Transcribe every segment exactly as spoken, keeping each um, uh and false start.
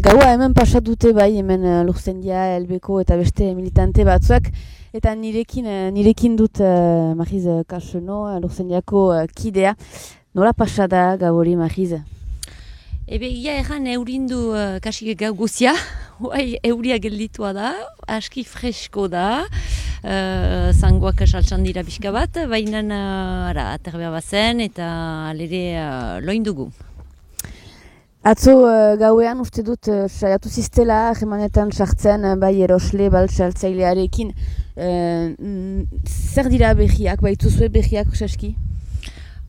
gaua hemen pasat dute bai, hemen uh, Lurzendia, Elbeko eta beste militante batzuak, eta nirekin, uh, nirekin dut uh, Mariz Kaseno, uh, Lurzendiako uh, kidea. Nola pasada gau hori, Mariz? Ebe, ia erran eurindu uh, kasik gau guzia, huai euria gelditua da, aski fresko da, uh, zangoak saltsan dira pixka bat, baina uh, aterbea bazen eta alere uh, loin dugu. Atzo uh, gauean uste dut uh, saiatu ziztela jemanetan sartzen uh, bai erosle baltsaltzailearekin. Uh, mm, zer dira behiak, baituzue behiak saski?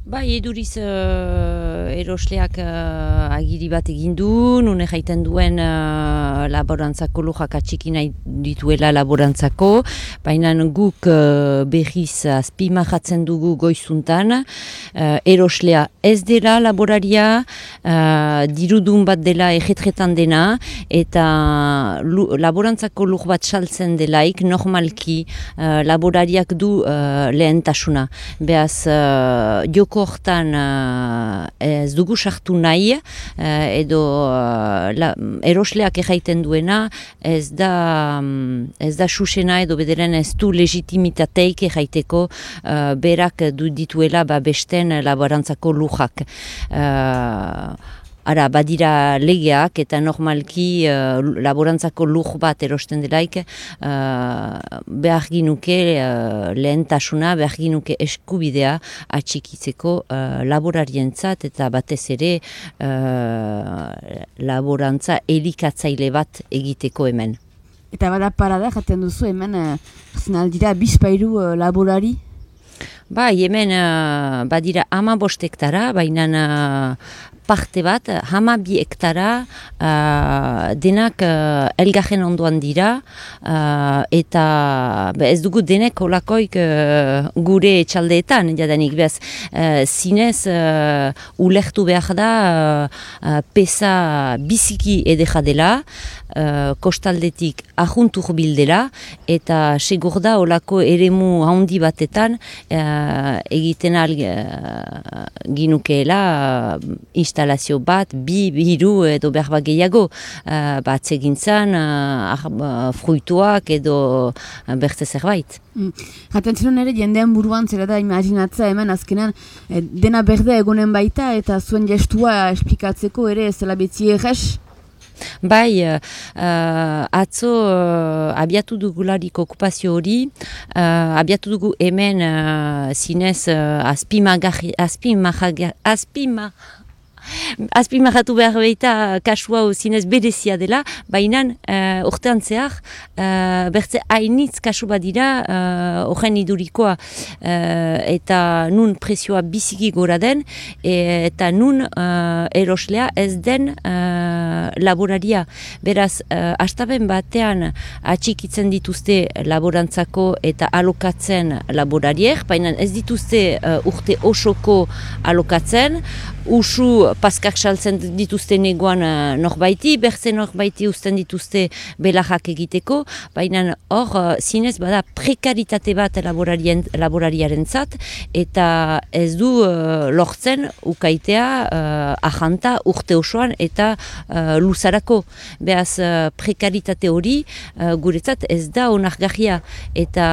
Bai, eduriz uh, erosleak uh, agiri bat egin du, nune jaiten duen uh, laborantzako lujak atxiki nahi dituela laborantzako, baina guk uh, behiz azpimarratzen dugu goizuntan, uh, eroslea ez dela laboraria, uh, dirudun bat dela ejetretan dena, eta lu, laborantzako luj bat saltzen delaik, normalki uh, laborariak du uh, lehentasuna. Beaz, uh, joko hortan uh, ez dugu sartu nahi, uh, edo uh, la, erosleak erraiten duena, ez da, um, ez da susena edo bederen ez du legitimitateik erraiteko uh, berak du dituela ba besten laborantzako lujak. Uh, Ara, badira legeak eta normalki uh, laborantzako luj bat erosten delaik uh, behar ginuke uh, lehentasuna, behar ginuke eskubidea atxikitzeko uh, laborarientzat eta batez ere uh, laborantza elikatzaile bat egiteko hemen. Eta bada parada jaten duzu hemen uh, zinaldira bizpairu uh, laborari? Bai, hemen uh, badira ama bost hektara, baina uh, parte bat, hama bi hektara uh, denak uh, elgarren ondoan dira, uh, eta be, ez dugu denek olakoik uh, gure etxaldeetan, jadanik bez, uh, zinez uh, ulertu behar da uh, pesa biziki edera dela, uh, kostaldetik ahuntur bildela, eta segur da olako eremu handi batetan uh, egiten al uh, ginukeela uh, instalazio bat, bi, biru edo berba gehiago uh, bat egintzan, uh, fruituak edo uh, bertze zerbait. Mm. Jaten zenun ere jendean buruan zera da imaginatza hemen azkenan eh, dena berde egonen baita eta zuen gestua esplikatzeko ere zela betzi errez? Bai, uh, atzo uh, abiatu dugularik okupazio hori, uh, abiatu dugu hemen uh, zinez uh, azpimagarri, azpimagarri, azpima, azpimarratu behar behita kasua zinez berezia dela, baina uh, urtean zehar uh, bertze hainitz kasu badira horren uh, idurikoa uh, eta nun presioa biziki gora den e, eta nun uh, eroslea ez den uh, laboraria. Beraz, uh, astaben batean atxikitzen dituzte laborantzako eta alokatzen laborariek, baina ez dituzte uh, urte osoko alokatzen, usu paskak saltzen dituzte negoan uh, norbaiti, berze norbaiti uzten dituzte belajak egiteko, baina hor uh, zinez bada prekaritate bat laborariaren zat, eta ez du uh, lortzen ukaitea uh, ahanta urte osoan eta uh, luzarako. Beaz uh, prekaritate hori uh, guretzat ez da onargarria, eta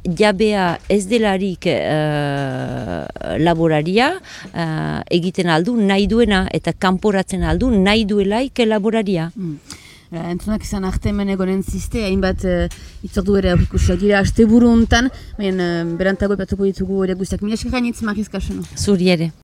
jabea ez delarik uh, laboraria uh, egiten aldu nahi duena eta kanporatzen aldu nahi duelaik laboraria. Mm. Entzunak izan arte hemen egonen ziste, hainbat uh, itzordu ere aurrikusiak dira aste buru hontan, baina uh, berantago epatuko ditugu ere guztiak. Mila esker gainitz, Mariz Kaseno. Zuri ere.